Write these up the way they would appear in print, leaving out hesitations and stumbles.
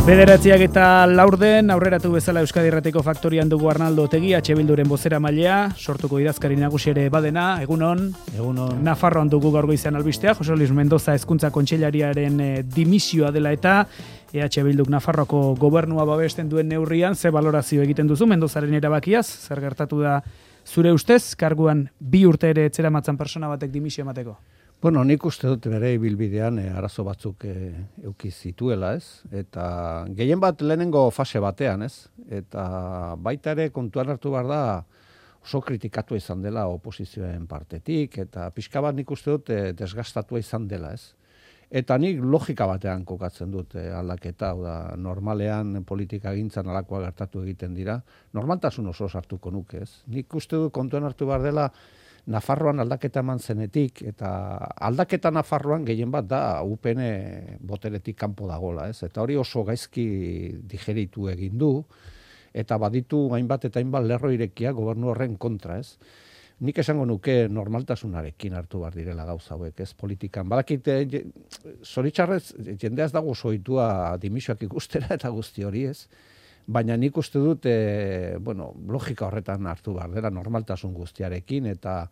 9:04 aurreratu bezala Euskadi Irratiko Faktorian dugu Arnaldo Otegi, Bilduren bozeramailea, sortuko idazkari nagusi ere badena, egunon. Nafarroan dugu gaur goizean albisteak, Jose Luis Mendoza Hezkuntza Kontseilariaren dimisioa dela eta Bilduk Nafarroako gobernua babesten duen neurrian, ze balorazio egiten duzu Mendozaren erabakiaz, zer gertatu da zure ustez, karguan 2 urte ere etzeramatzan persona batek dimisio emateko? Bueno, nik uste dut bere ibilbidean arazo batzuk euki zituela, ez? Eta gehien bat lehenengo fase batean, ez? Eta baita ere kontuan hartu behar da oso kritikatu izan dela oposizioen partetik, eta pixka bat nik uste dut desgastatua izan dela, ez? Eta nik logika batean kokatzen dut aldaketa, da normalean politika gintzan alakoa gertatu egiten dira, normaltasun oso sartuko nuke, ez? Nik uste dut kontuan hartu behar dela Nafarroan aldaketa eman zenetik, eta aldaketa Nafarroan gehien bat da UPN boteretik kanpo dagola, ez? Eta hori oso gaizki digeritu egin du, eta baditu hainbat eta hainbat lerro irekia gobernu horren kontra, ez? Nik esango nuke normaltasunarekin hartu behar direla gauza hauek, ez politikan. Badakite, zoritxarrez, jendea ez dago soitua dimisioak ikustera eta guzti hori, ez? Baina nik uste dut, logika horretan hartu behar dela normaltasun guztiarekin eta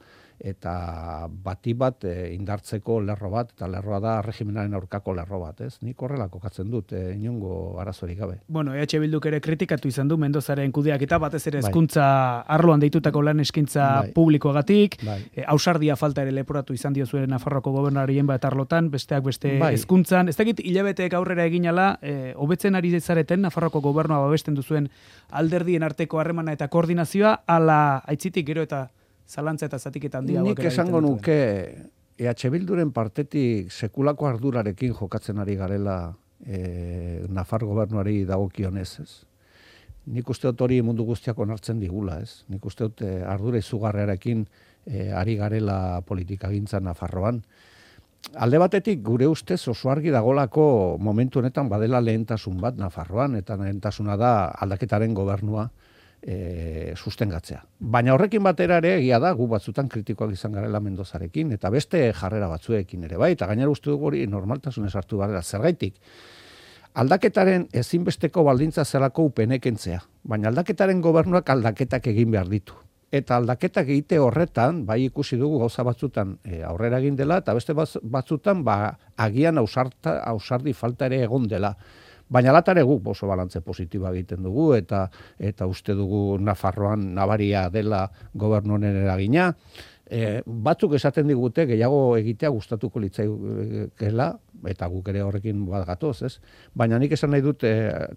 bati bat indartzeko lerro bat, eta lerroa da regimenaren aurkako lerro bat, ez? Nik horrela kokatzen dut, inongo arazorik gabe. Bueno, Bilduk ere kritikatu izan du Mendozaren kudeaketa, batez ere hezkuntza arloan deitutako lan eskaintza publikoagatik, ausardia falta ere leporatu izan dio zuen Nafarroako gobernarien bat arlotan, besteak beste hezkuntzan. Ez dakit hilabeteek aurrera eginala, hobetzen ari zareten Nafarroako gobernua babesten duzuen alderdien arteko harremana eta koordinazioa, ala aitzitik gero eta zalantza eta zatiketa handia. Nik esango nuke Bilduren partetik sekulako ardurarekin jokatzen ari garela Nafar gobernuari dagokionez, ez? Nik uste dut hori mundu guztiak onartzen digula, ez? Nik uste dut ardura izugarriarekin ari garela politikagintzan Nafarroan. Alde batetik gure ustez oso argi dagolako momentu honetan badela lehentasun bat Nafarroan, eta lehentasuna da aldaketaren gobernua sustengatzea. Baina horrekin batera ere egia da, gu batzutan kritikoak izan garela Mendozarekin, eta beste jarrera batzuekin ere bai, eta gainera uste dugu hori normaltasunez hartu barela. Zergaitik, aldaketaren ezinbesteko baldintza zelako UPN-kentzea, baina aldaketaren gobernuak aldaketak egin behar ditu. Eta aldaketak egite horretan, bai ikusi dugu gauza batzutan aurrera egin dela, eta beste batzutan agian ausardi falta ere egon dela. Baina latare guk oso balantze positiboa egiten dugu, eta uste dugu Nafarroan nabaria dela gobernu honen eragina. Batzuk esaten digute gehiago egitea gustatuko litzaikeela, eta guk ere horrekin bat gatoz, ez? Baina nik esan nahi dut,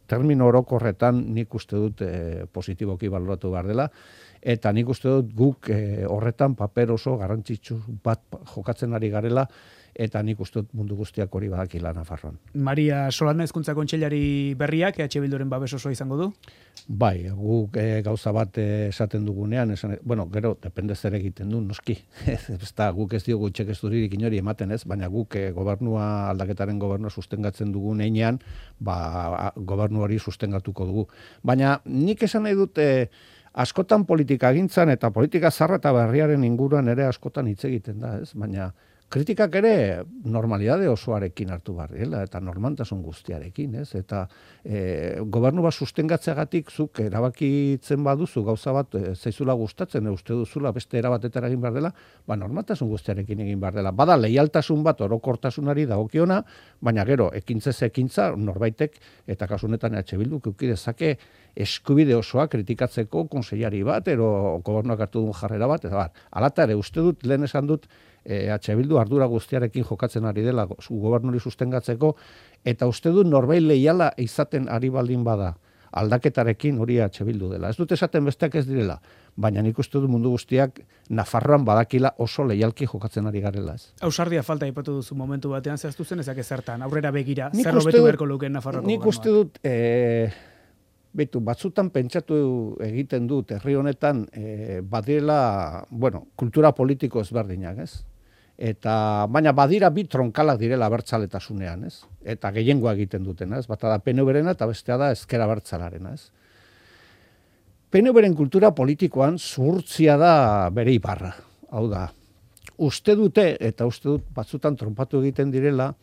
termino orokorretan nik uste dut positiboki baloratu behar dela, eta nik uste dut guk horretan paper oso garrantzitsu bat jokatzen ari garela, eta nik uste dut mundu guztiak hori badakila Nafarroan. Maria Solana Hezkuntza Kontseilari berriak Bilduren babes osoa izango du? Bai, guk gauza bat esaten dugunean, gero, depende zer egiten du, noski. Guk ez diogu txekesturirik inori ematen ez, baina guk aldaketaren gobernua sustengatzen dugun einean, gobernu hori sustengatuko dugu. Baina nik esan nahi dut, askotan politika gintzan eta politika zarra eta berriaren inguruan ere askotan hitz egiten da, ez? Baina kritikak ere normalidade osoarekin hartu barriela, eta normaltasun guztiarekin, ez? Eta gobernu bat sustengatzeagatik zuk erabakitzen baduzu gauza bat zaizula gustatzen, uste duzula beste erabatetara egin behar dela, normaltasun guztiarekin egin behar dela. Bada leialtasun bat orokortasunari dagokiona, baina gero, ekintzez ekintza norbaitek, eta kasunetan Bilduk eduki dezake eskubide osoa kritikatzeko konseilari bat, ero gobernuak hartu duen jarrera bat, eta alata ere uste dut, lehen esan dut, Bildu ardura guztiarekin jokatzen ari dela gobernuri sustengatzeko, eta uste dut norbait leiala izaten ari baldin bada aldaketarekin hori Bildu dela. Ez dut esaten besteak ez direla, baina nik uste dut mundu guztiak Nafarroan badakila oso leialki jokatzen ari garela, ez. Ausardia falta aipatu duzu momentu batean, zehaztu zen ezak ezertan, aurrera begira, zer hobetu beharko lukeen Nafarroako gobernuak? Nik uste dut, batzutan pentsatu egiten dut herri honetan badirela, kultura politiko ezberdinak, ez? Baina badira bi tronkalak direla abertzaletasunean, ez? Eta gehiengoa egiten dutena, ez? Bata da PNV-rena eta bestea da ezker abertzalarena, ez? PNV-ren kultura politikoan zuhurtzia da bere ibarra. Hau da, uste dute, eta uste dut batzutan tronpatu egiten direla,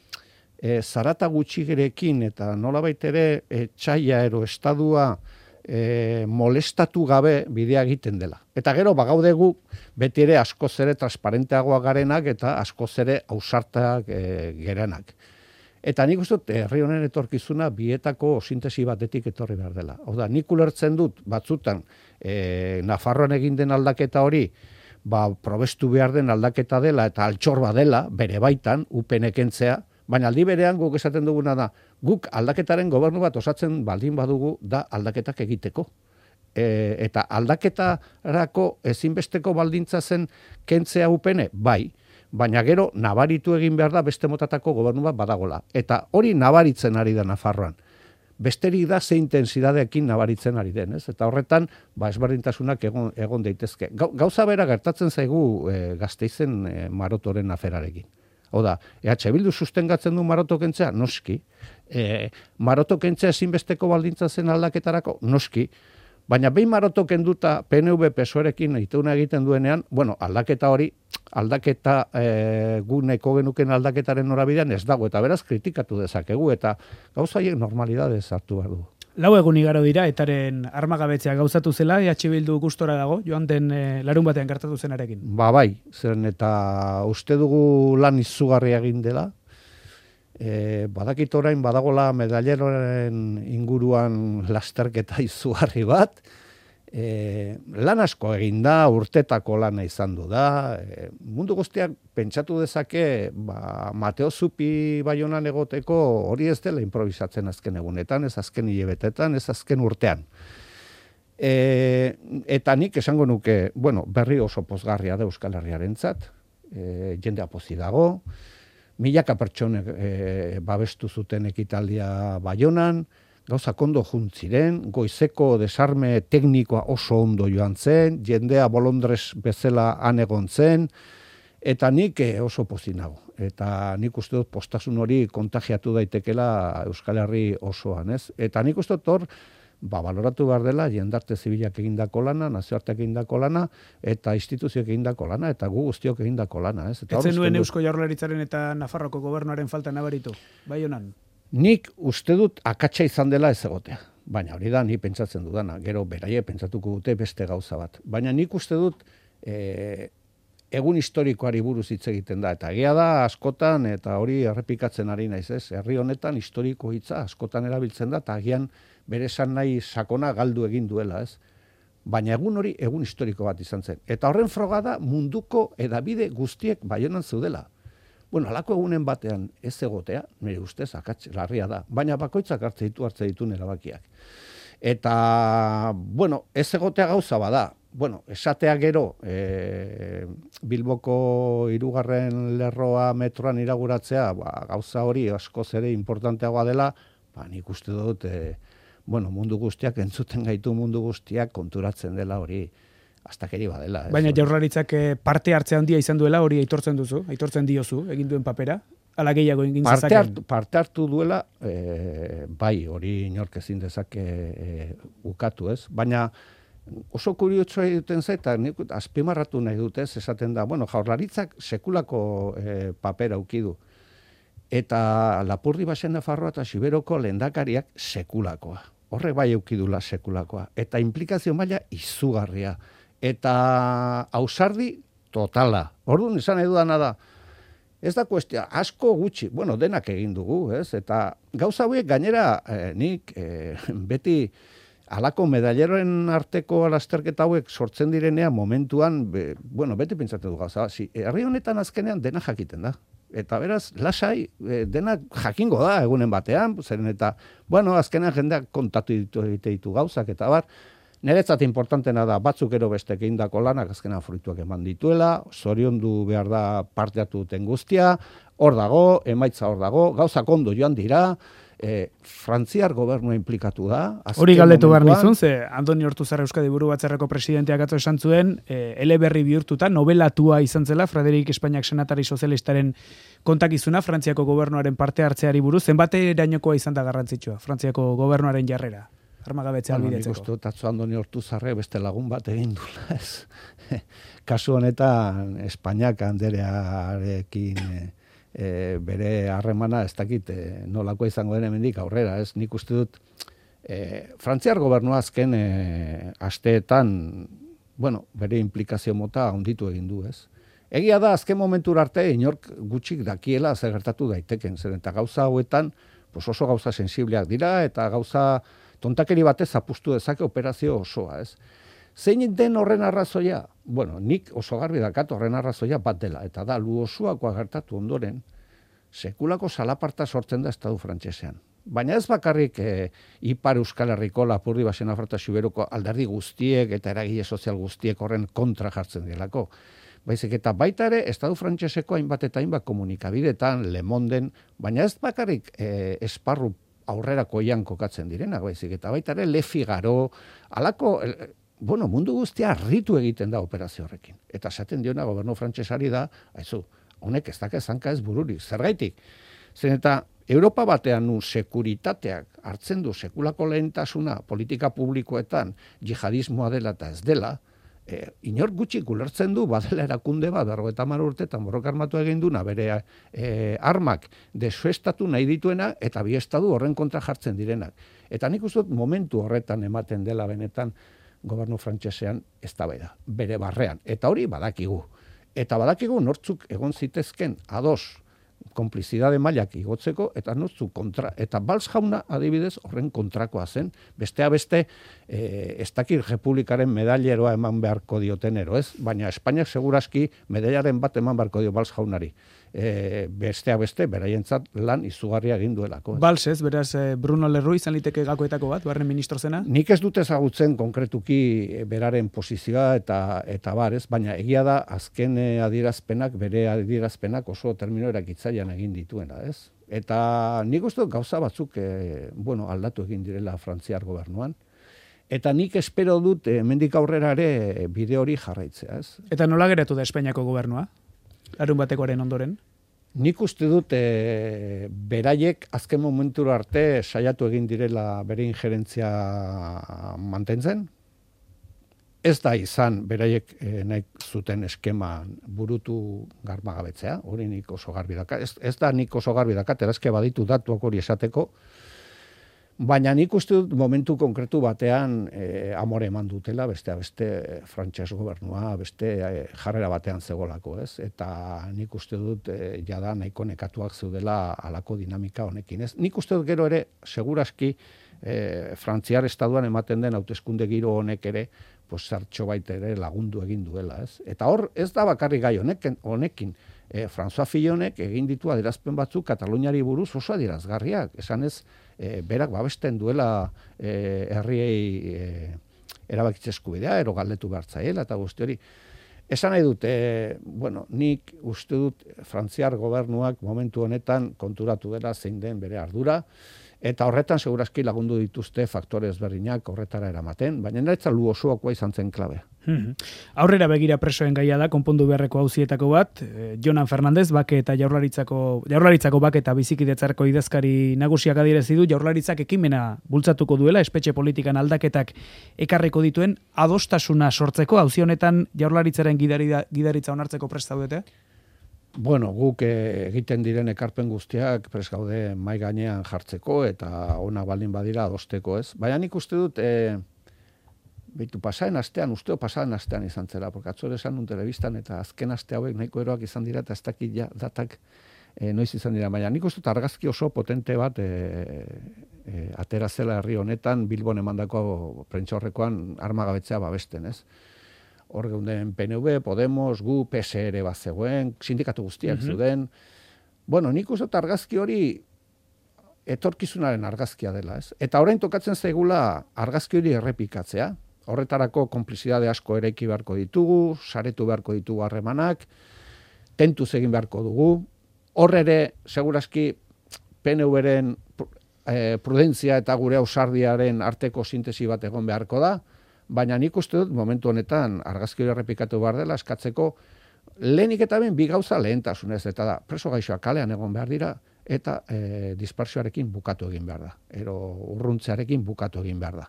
zarata gutxigerekin eta nolabait ere txaila ero estadua molestatu gabe bidea egiten dela. Eta gero bagaude gu beti ere askoz ere transparenteagoa garenak eta askoz ere ausartak gerenak. Eta nik uste dut herri honen etorkizuna bietako sintesi batetik etorri behar dela. Hau da, nik ulertzen dut batzutan Nafarroan egin den aldaketa hori probestu behar den aldaketa dela eta altxor dela bere baitan upenekentzea, baina aldi berean guk esaten duguna da, guk aldaketaren gobernu bat osatzen baldin badugu da aldaketak egiteko. Eta aldaketarako ezinbesteko baldintza zen kentzea upene, bai, baina gero nabaritu egin behar da beste motatako gobernu bat badagola. Eta hori nabaritzen ari da Nafarroan. Besterik da ze intensidadeekin nabaritzen ari den, ez? Eta horretan, ezberdintasunak egon daitezke. Gauza bera gertatzen zaigu Gasteizen Marotoren aferarekin. Hau da, EH Bildu sustengatzen du Maroto kentzea? Noski. Maroto kentzea ezinbesteko baldintza zen aldaketarako? Noski. Baina behin Maroto kenduta PNV PSOErekin ituna egiten duenean, aldaketa hori, guneko genuken aldaketaren norabidean ez dago, eta beraz kritikatu dezakegu, eta gauza haiek normalidadez hartu behar du. 4 egun igaro dira, etaren armagabetzea gauzatu zela, EH Bildu gustora dago, joan den larun batean gertatu zenarekin. Bai, zen eta uste dugu lan izugarria egin dela, badakit orain badagola medalleroren inguruan lasterketa izugarri bat, lan asko egin da, urtetako lana izan du da, mundu guztiak pentsatu dezake, Mateo Zupi Baionan egoteko hori ez dela improvisatzen azken egunetan, ez azken hilebetetan, ez azken urtean. Eta nik esango nuke, berri oso pozgarria da Euskal Herriarentzat, jendea pozik dago, milaka pertsonek babestu zuten ekitaldia Baionan, gauza ondo juntziren, goizeko desarme teknikoa oso ondo joan zen, jendea bolondrez bezala han egon zen, eta nik oso pozik nago. Eta nik uste dut postasun hori kontagiatu daitekela Euskal Herri osoan, ez? Eta nik uste dut hor, baloratu behar dela, jendarte zibilak egindako lana, nazioarteak egindako lana, eta instituzioak egindako lana, eta gu guztiok egindako lana, ez? Ez zenuen Eusko Jaurlaritzaren eta Nafarroko gobernuaren falta nabaritu, bai honan? Nik uste dut akatsa izan dela ez egotea. Baina hori da, ni pentsatzen dudana. Gero beraie pentsatuko dute beste gauza bat. Baina nik uste dut egun historikoari buruz hitz egiten da. Eta egia da askotan, eta hori errepikatzen ari naiz, ez? Herri honetan historiko hitza askotan erabiltzen da, eta agian bere esan nahi sakona galdu egin duela, ez? Baina egun hori egun historiko bat izan zen. Eta horren froga da munduko edabide guztiek Baionan zeudela. Halako egunen batean ez egotea, nire ustez, akats larria da, baina bakoitzak hartze ditu erabakiak. Eta, ez egotea gauza bada, esatea gero, Bilboko 3. lerroa metroan inauguratzea, gauza hori askoz ere importanteagoa dela, nik uste dut, mundu guztiak, entzuten gaitu mundu guztiak konturatzen dela hori, astakeri badela. Baina Jaurlaritzak parte hartze handia izan duela, hori aitortzen duzu, aitortzen diozu, egin duen papera, ala gehiago egin zezaken. Parte hartu duela, bai, hori inork ezin dezake ukatu, ez? Baina oso kuriotsua egiten zaita, nik azpimarratu nahi dut, ez? Esaten da, Jaurlaritzak sekulako papera ukidu. Eta Lapurdi Basen Nafarroa eta Siberoko lehendakariak sekulakoa. Horrek bai eukidula sekulakoa. Eta implikazio maila izugarria. Eta ausardi totala. Orduan izan edudana da, ez da kuestia, asko gutxi, denak egin dugu, ez? Eta gauza hauek gainera nik beti halako medalleroen arteko lasterketa hauek sortzen direnean momentuan, beti pentsatzen du gauza, herri honetan azkenean dena jakiten da. Eta beraz, lasai, denak jakingo da egunen batean, zeren eta, azkenean jendeak kontatu ditu gauzak, eta niretzat importantena da, batzuk ero bestek egindako lanak azkenean fruituak eman dituela, zoriondu behar da parte hartu duten guztia, hor dago, emaitza hor dago, gauzak ondo joan dira, Frantziar gobernua implikatu da. Hori galdetu behar nizun, ze Andoni Ortuzar Euskadi Buru Batzarreko presidenteak atzo esan zuen, eleberri bihurtuta, nobelatua izan zela, Frederik Espainiak senatari sozialistaren kontakizuna, Frantziako gobernuaren parte hartzeari buruz, zenbaterainokoa izan da garrantzitsua, Frantziako gobernuaren jarrera, armagabetzea albidetzeko. Nik uste atzo Andoni Ortuzarre beste lagun bat egin dula, ez? Kasu honetan, Espainiak anderearekin bere harremana ez dakit nolako izango den hemendik aurrera, ez? Nik uste dut Frantziar gobernua azken asteetan, bueno, bere implikazio mota handitu egin du, ez? Egia da, azken momentura arte, inork gutxik dakiela zer gertatu daiteken, zer eta gauza hauetan, pues oso gauza sensibleak dira, eta gauza tontakeri batez apustu dezake operazio osoa, ez? Zein den horren arrazoia? Bueno, nik oso garbi dakat horren arrazoia bat dela, eta da, lu osoakoa gertatu ondoren, sekulako salaparta sortzen da estadu frantsesean. Baina ez bakarrik Ipar Euskal Herriko Lapurdi Baxena Frota Xuberuko alderdi guztiek eta eragile sozial guztiek horren kontra jartzen direlako. Baizik eta baita ere, estadu frantseseko hainbat eta hainbat komunikabidetan, Le Monden, baina ez bakarrik esparru aurrerakoian kokatzen direnak, baizik eta baita ere Le Figaro, alako, bueno, mundu guztia harritu egiten da operazio horrekin. Eta esaten diona gobernu frantsesari da, aizu, honek ez daka zanka ez bururik, zergaitik. Zen eta Europa batean nun sekuritateak hartzen du sekulako lehentasuna politika publikoetan jihadismoa dela eta ez dela, inor gutxik ulertzen du badela erakunde bat, 50 urtetan borroka armatu egin duna bere armak desuestatu nahi dituena eta bi estatu horren kontra jartzen direnak. Eta nik uste dut momentu horretan ematen dela benetan gobernu frantsesean eztabaida, bere barrean. Eta hori badakigu. Eta badakigu nortzuk egon zitezken ados konplizidade mailak igotzeko, eta nortzuk kontra. Eta Valls jauna adibidez horren kontrakoa zen, bestea beste ez dakit Republikaren medalleroa eman beharko diotenero, ez? Baina Espainiak segurazki medailaren bat eman beharko dio Valls jaunari. Bestea beste, beraientzat lan izugarria egin duelako. Valls ez, beraz Bruno Lerroux izan liteke gakoetako bat, barren ministro zena? Nik ez dut ezagutzen konkretuki beraren posizioa eta bar, ez? Baina egia da azken bere adierazpenak oso termino erakitzailean egin dituena, ez? Eta nik uste dut gauza batzuk aldatu egin direla Frantziar gobernuan. Eta nik espero dut hemendik aurrera ere bide hori jarraitzea, ez? Eta nola geratu da Espainiako gobernua? Larun batekoaren ondoren? Nik uste dut beraiek azken momentura arte saiatu egin direla bere injerentzia mantentzen. Ez da izan beraiek nahi zuten eskema burutu garbagabetzea, hori nik oso garbi dakat. Ez da nik oso garbi dakat, erazke baditu datuak hori esateko, baina nik uste dut momentu konkretu batean amore eman dutela, beste frantses gobernua, beste jarrera batean zegolako, ez? Eta nik uste dut jada nahiko nekatuak zeudela alako dinamika honekin, ez? Nik uste dut gero ere, seguraski, Frantziar estatuan ematen den hauteskunde giro honek ere, zertxo baita ere lagundu egin duela, ez? Eta hor, ez da bakarrik gai honekin, François Fillonek egin ditu adierazpen batzuk Kataluniari buruz oso adierazgarriak, esan ez, berak babesten duela herriei erabakitze eskubidea, ero galdetu behartzaiela eta guzti hori. Esan nahi dut, nik uste dut Frantziar gobernuak momentu honetan konturatu dela zein den bere ardura, eta horretan segurazki lagundu dituzte faktore ezberdinak horretara eramaten, baina niretzat lu osoakoa izan zen klabea. Aurrera begira presoen gaia da, konpondu beharreko auzietako bat, Jonan Fernandez, bake eta jaurlaritzako bake eta bizikidetzarko idazkari nagusiak adierazi du, jaurlaritzak ekimena bultzatuko duela, espetxe politikan aldaketak ekarriko dituen, adostasuna sortzeko, auzi honetan jaurlaritzaren gidaritza onartzeko prest zaudete? Bueno, guk egiten diren ekarpen guztiak prest gaude mai gainean jartzeko eta ona baldin badira adosteko, ez? Baina nik uste dut pasaden astean izan zela, porque atzore esan nun telebistan eta azken aste hauek nahiko eroak izan dira eta ez dakit ja datak noiz izan dira. Baina nik uste dut argazki oso potente bat atera zela herri honetan Bilbon emandako prentsaurrekoan armagabetzea babesten, ez? Hor geunden PNV, Podemos, gu, PSR bat zegoen, sindikatu guztiak zeuden. Bueno, nik uste dut argazki hori etorkizunaren argazkia dela, ez? Eta orain tokatzen zaigula argazki hori errepikatzea. Horretarako konplizidade asko eraiki beharko ditugu, saretu beharko ditugu harremanak, tentuz egin beharko dugu. Hor ere, segurazki, PNV-ren prudentzia eta gure ausardiaren arteko sintesi bat egon beharko da, baina nik uste dut momentu honetan argazki hori errepikatu behar dela eskatzeko lehenik eta ben bi gauza lehentasunez, eta da, preso gaixoak kalean egon behar dira, eta dispersioarekin bukatu egin behar da, ero urruntzearekin bukatu egin behar da.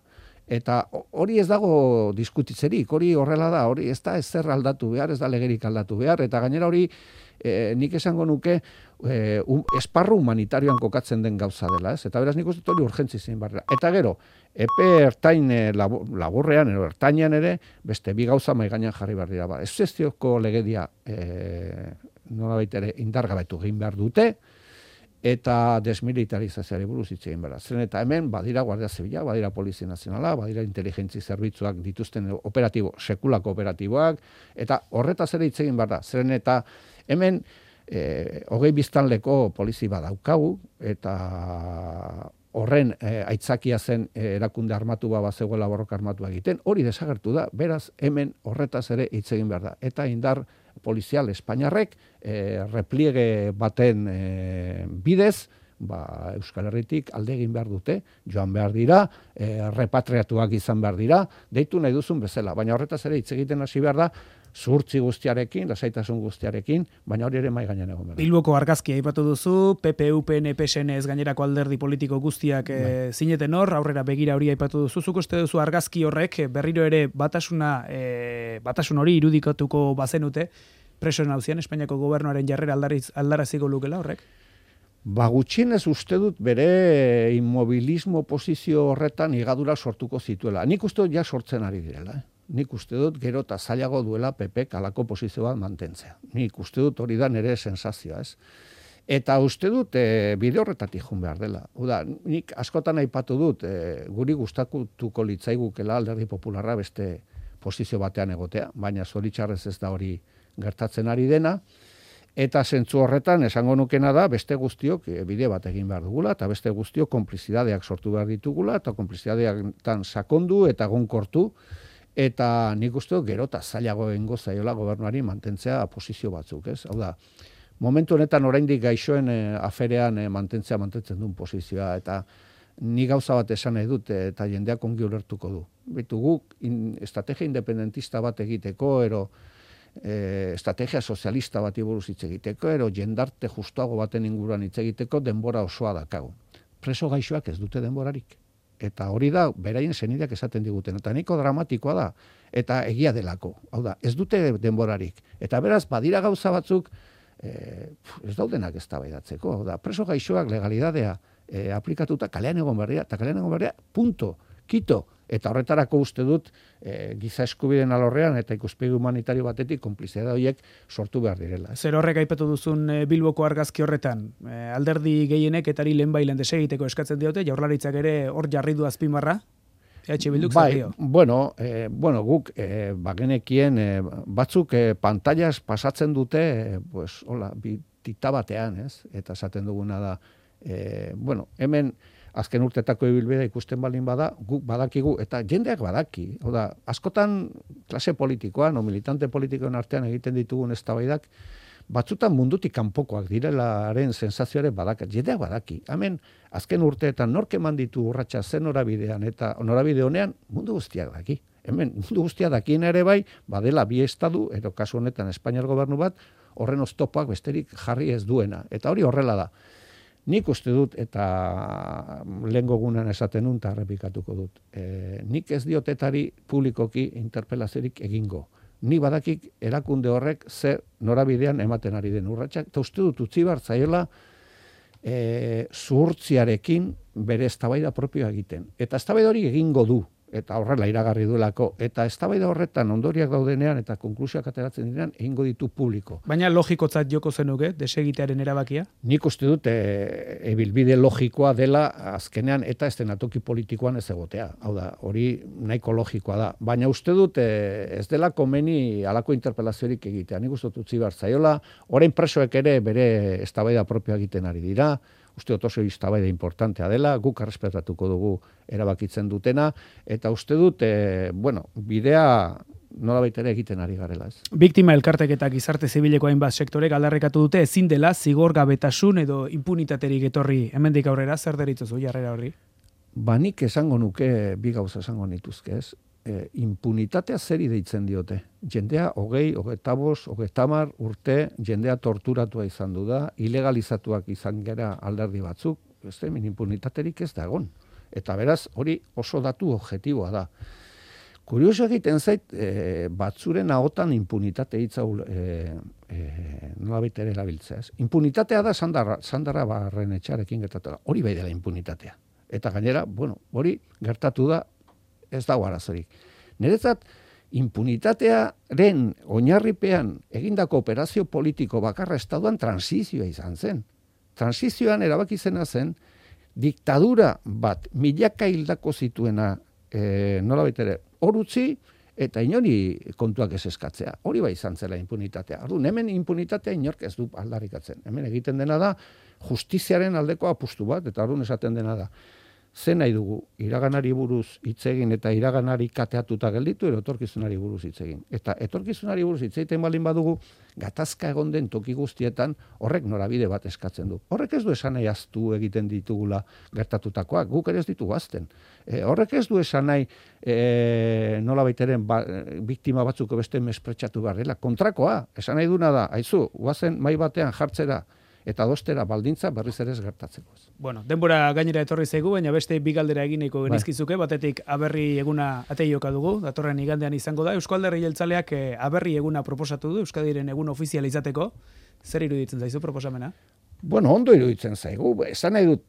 Eta hori ez dago diskutitzerik, hori horrela da, hori ez da ezer aldatu behar, ez da legerik aldatu behar, eta gainera hori nik esango nuke esparru humanitarioan kokatzen den gauza dela, ez? Eta beraz nik uste hori urgentzi zein barra. Eta gero, epe ertain laburrean, ertainean ere, beste bi gauza mai gainean jarri behar dira. Ez zestioko legedia nolabait ere indargabetu egin behar dute, eta desmilitarizazioari buruz hitz egin behar. Zeren eta hemen badira Guardia Zibila, badira Polizia Nazionala, badira inteligentzi zerbitzuak dituzten operatibo, sekulako operatiboak, eta horretaz ere hitz egin behar da. Zeren eta hemen 20 biztanleko polizi badaukagu, eta horren aitzakia zen erakunde armatu bazegoela borroka armatua egiten, hori desagertu da, beraz hemen horretaz ere hitz egin behar da. Eta indar polizial Espainiarrek repliege baten bidez, Euskal Herritik alde egin behar dute, joan behar dira, repatriatuak izan behar dira, deitu nahi duzun bezala, baina horretaz ere hitz egiten hasi behar da, zuhurtzi guztiarekin, lasaitasun guztiarekin, baina hori ere mai gainean egon behar. Bilboko argazkia aipatu duzu, PP, UPN, PSN ez gainerako alderdi politiko guztiak zineten hor, aurrera begira hori aipatu duzu. Zuk uste duzu argazki horrek berriro ere batasun hori irudikatuko bazenute, preso nauzian Espainiako gobernuaren jarrera aldaraziko lukela horrek? Gutxienez uste dut bere inmobilismo posizio horretan higadura sortuko zituela. Nik uste dut ja sortzen ari direla. Nik uste dut gero eta zailago duela PP halako posizio bat mantentzea. Nik uste dut hori da nire sensazioa, ez? Eta uste dut bide horretatik joan behar dela. Nik askotan aipatu dut, guri gustatuko litzaigukela Alderdi Popularra beste posizio batean egotea, baina zoritxarrez ez da hori gertatzen ari dena, eta zentzu horretan esango nukena da beste guztiok bide bat egin behar dugula, eta beste guztiok konplizidadeak sortu behar ditugula, eta konplizidadeak sakondu eta egonkortu, eta nik uste dut gero eta zailago egingo zaiola gobernuari mantentzea posizio batzuk, ez? Hau da, momentu honetan oraindik gaixoen aferean mantentzen duen posizioa, eta ni gauza bat esan nahi dut, eta jendeak ongi ulertuko du. Bitu guk estrategia independentista bat egiteko, estrategia sozialista bati buruz hitz egiteko, jendarte justuago baten inguruan hitz egiteko denbora osoa dakagu. Preso gaixoak ez dute denborarik. Eta hori da, beraien senideak esaten diguten. Eta nahiko dramatikoa da, eta egia delako. Hau da, ez dute denborarik. Eta beraz, badira gauza batzuk, ez daudenak eztabaidatzeko. Hau da, preso gaixoak legalidadea aplikatuta kalean egon berria, eta kalean egon berria, punto, kito. Eta horretarako uste dut, giza eskubideen alorrean eta ikuspegi humanitario batetik konplizidade horiek sortu behar direla. Zer horrek aipatu duzun Bilboko argazki horretan, alderdi gehienek etari lehenbailen desegiteko eskatzen diote, Jaurlaritzak ere hor jarri du azpimarra, Bilduk zer dio? Guk bagenekien batzuk pantallas pasatzen dute, tita batean, ez? Eta esaten duguna da, hemen azken urtetako ibilbidea ikusten balin bada, guk badakigu, eta jendeak badaki. Oda, askotan klase politikoan, o militante politikoen artean egiten ditugun eztabaidak, batzutan mundutik kanpokoak direlaren sensazioare badakat. Jendeak badaki. Hemen, azken urteetan nork eman ditu urratsa zen norabidean, eta norabide honean mundu guztiak daki. Hemen, mundu guztiak dakien ere bai, badela bi estadu, edo kasu honetan Espainiar gobernu bat, horren oztopoak besterik jarri ez duena. Eta hori horrela da. Nik uste dut, eta lehengo gunean esaten nun, eta errepikatuko dut. Nik ez diotetari publikoki interpelaziorik egingo. Ni badakik erakunde horrek zer norabidean ematen ari den urratsak, eta uste dut utzi behar zaiola zuhurtziarekin bere eztabaida propioa egiten. Eta eztabaida hori egingo du, eta horrela iragarri duelako, eta eztabaida horretan ondoriak daudenean eta konklusioak ateratzen direnean egingo ditu publiko. Baina logikotzat joko zenuke, desegitearen erabakia? Nik uste dut ebilbide logikoa dela azkenean eta estenatoki politikoan ez egotea. Hau da, hori nahiko logikoa da. Baina uste dut ez dela komeni halako interpelaziorik egitea. Nik uste dut utzi behar zaiola, orain presoek ere bere eztabaida propioa egiten ari dira, uste dut oso eztabaida importantea dela, guk errespetatuko dugu erabakitzen dutena, eta uste dut, bidea nolabait ere egiten ari garela. Biktima elkartek eta gizarte zibileko hainbat sektorek aldarrikatu dute ezin dela zigorgabetasun edo impunitaterik etorri. Hemendik aurrera, zer deritzozu jarrera horri? Nik esango nuke bi gauza esango nituzke, ez? Impunitatea zeri deitzen diote. Jendea 20, 25, 30 urte jendea torturatua izan du da, ilegalizatuak izan gera alderdi batzuk, impunitaterik ez da egon. Eta beraz, hori oso datu objektiboa da. Kurioso egiten zait, batzuren ahotan impunitate hitza nolabait ere erabiltzea. Impunitatea da Sandarra Barrenetxearekin gertatu da. Hori bai dela impunitatea. Eta gainera, hori gertatu da, ez dago arazorik. Niretzat, impunitatearen oinarripean egindako operazio politiko bakarra estatuan transizioa izan zen. Transizioan erabaki zena zen, diktadura bat milaka hildako zituena nolabait ere hor utzi eta inori kontuak ez eskatzea. Hori bai izan zela impunitatea. Orduan, hemen impunitatea inork ez du aldarrikatzen. Hemen egiten dena da justiziaren aldeko apustu bat, eta orduan esaten dena da. Zen nahi dugu, iraganari buruz hitz egin eta iraganari kateatuta gelditu, etorkizunari buruz hitz egin. Eta etorkizunari buruz hitz egiten baldin badugu, gatazka egon den toki guztietan horrek norabide bat eskatzen du. Horrek ez du esan nahi ahaztu egiten ditugula gertatutakoak, guk ere ez ditugu ahazten. Horrek ez du esan nahi nolabaiteren biktima batzuk beste mespretxatu behar dela. Kontrakoa, esan nahi duna da, aizu, guazen mai batean jartzera, eta dostera baldintza berriz ere ez gertatzeko. Bueno, denbora gainera etorri zaigu, baina beste bi galdera egineko genizkizuke, batetik aberri eguna ateioka dugu, datorren igandean izango da. Eusko Alderdi Jeltzaleak aberri eguna proposatu du, Euskadiren egun ofizial izateko. Zer iruditzen zaizu proposamena? Bueno, ondo iruditzen zaigu. Esan nahi dut,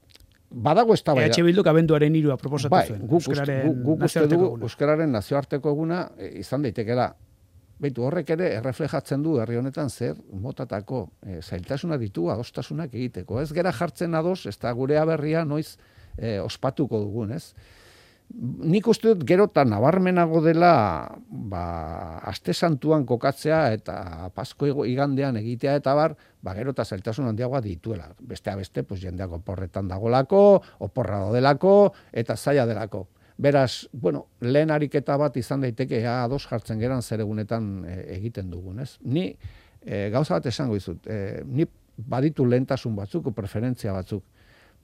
badago eztabaida. Bilduk abenduaren 3 proposatu zuen. Guk uste dugu Euskararen nazioarteko eguna izan daitekeela. Beitu, horrek ere erreflejatzen du herri honetan zer motatako zailtasuna ditu adostasunak egiteko. Ez gera jartzen ados, ez da gure aberria noiz ospatuko dugun, ez? Nik uste dut gero eta nabarmenago dela aste santuan kokatzea eta Pasko igandean egitea eta gero eta zailtasun handiagoa dituela. Besteak beste, jendeak oporretan dagolako, oporra dodelako eta zaila delako. Beraz, lehen ariketa bat izan daiteke ados jartzen geran zer egunetan egiten dugun, ez? Ni gauza bat esango dizut, ni baditu lehentasun batzuk, preferentzia batzuk,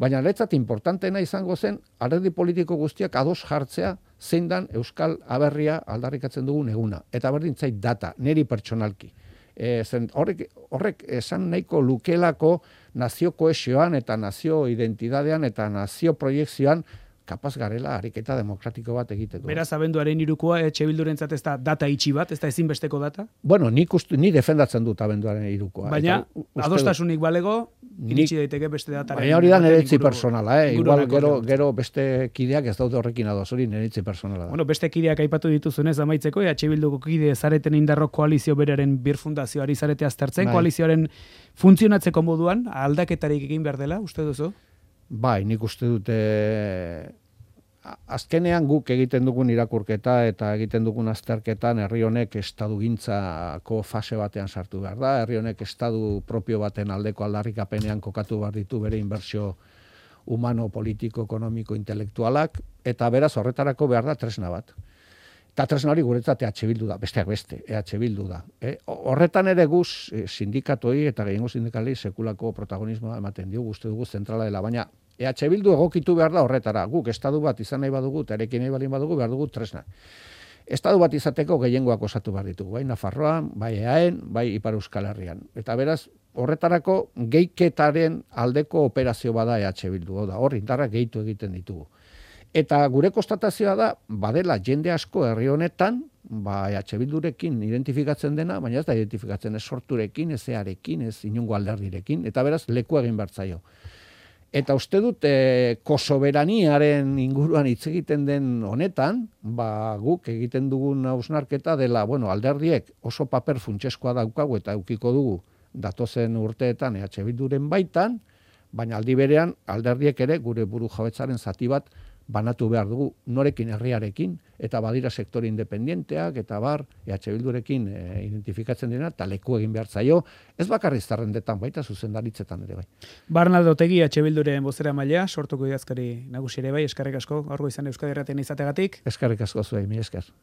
baina niretzat importanteena izango zen alderdi politiko guztiak ados jartzea zein dan Euskal Aberria aldarrikatzen dugun eguna. Eta berdin zait data, niri pertsonalki. Horrek esan nahiko lukelako nazio kohesioan eta nazio identidadean eta nazio proiekzioan kapaz garela ariketa demokratiko bat egiteko. Beraz, abenduaren 3koa Bildurentzat ez da data itxi bat, ez da ezinbesteko data? Bueno, ni defendatzen dut abenduaren 3koa. Baina, adostasunik balego, iritsi daiteke beste dataren. Baina hori da niretzi personala, igual gero beste kideak ez daude horrekin ados, hori niretzi personala da. Bueno, beste kideak aipatu dituzunez amaitzeko, Bilduko kide zareten indarro koalizio beraren birfundazioari zarete aztertzen, koalizioaren funtzionatzeko moduan, aldaketarik egin behar dela, uste duzu? Bai, nik uste dute azkenean guk egiten dugun irakurketa eta egiten dugun azterketan herri honek estadugintzako fase batean sartu behar da, herri honek estadu propio baten aldeko aldarrikapenean kokatu behar ditu bere inbertsio humano, politiko, ekonomiko, intelektualak, eta beraz horretarako behar da tresna bat. Eta tresna hori guretzat Bildu da, besteak beste, Bildu da. Horretan ere guz sindikatoi eta gehiengo sindikalei sekulako protagonismoa ematen diogu, uste dugu zentrala dela, baina Bildu egokitu behar da horretara. Guk estadu bat izan nahi badugu, eta erekin nahi balin badugu, behar dugu tresna. Estadu bat izateko gehiengoak osatu behar ditugu, bai Nafarroan, bai Eaen, bai Ipar Euskal Herrian. Eta beraz, horretarako gehiketaren aldeko operazio bada Bildu, da hor indarrak gehitu egiten ditugu. Eta gure konstatazioa da, badela jende asko herri honetan, Bildurekin identifikatzen dena, baina ez da identifikatzen ez sorturekin, ez earekin, ez inungo alderdirekin, eta beraz leku egin bertzaio. Eta uste dut, kosoberaniaren inguruan hitz egiten den honetan, guk egiten dugun hausnarketa dela, alderdiek oso paper funtseskoa daukagu eta eukiko dugu datozen urteetan Bilduren baitan, baina aldi berean alderdiek ere gure buru jabetzaren zati bat banatu behar dugu norekin herriarekin, eta badira sektore independenteak, eta Bildurekin identifikatzen dena, eta leku egin behar zaio, ez bakarri zerrendetan baita zuzendaritzetan ere bai. Barnaldo Otegi, Bilduren bozera maila, sortuko idazkari nagusi ere bai, eskerrik asko, gaurko izan Euskadi Irratian izategatik. Eskerrik asko zuei, mi esker.